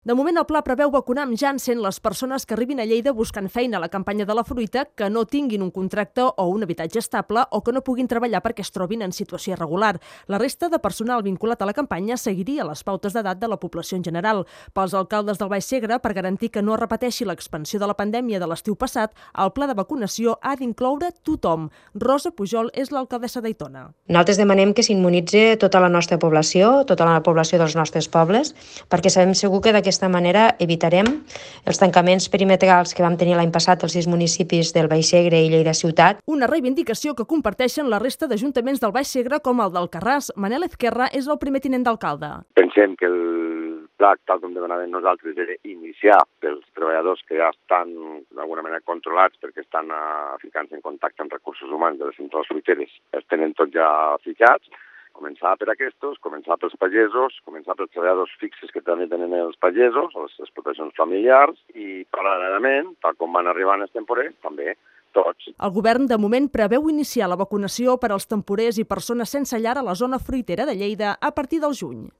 De moment, el pla preveu vacunar amb Janssen les persones que arribin a Lleida buscant feina a la campanya de la fruita, que no tinguin un contracte o un habitatge estable o que no puguin treballar perquè es trobin en situació irregular. La resta de personal vinculat a la campanya seguiria les pautes d'edat de la població en general. Pels alcaldes del Baix Segre, per garantir que no es repeteixi l'expansió de la pandèmia de l'estiu passat, el pla de vacunació ha d'incloure tothom. Rosa Pujol és l'alcaldessa d'Aitona. Nosaltres demanem que s'immunitzi tota la nostra població, tota la població dels nostres pobles, perquè sabem segur que d'aquesta manera evitarem els tancaments perimetrals que vam tenir l'any passat als 6 municipis del Baix Segre i Lleida ciutat. Una reivindicació que comparteixen la resta d'ajuntaments del Baix Segre com el d'Alcarràs. Manel Ezquerra és el primer tinent d'alcalde. Pensem que el pla, tal com demanàvem nosaltres, era iniciar pels treballadors que ja estan d'alguna manera controlats perquè estan ficant-se en contacte amb recursos humans de les centrals fruiteres. Els tenen tots ja fitxats. Començar per aquests, començar pels pagesos, començar pels treballadors fixes que també tenen els pagesos, les explotacions familiars i, paral·lelament, tal com van arribant els temporers, també tots. El govern, de moment, preveu iniciar la vacunació per als temporers i persones sense llar a la zona fruitera de Lleida a partir del juny.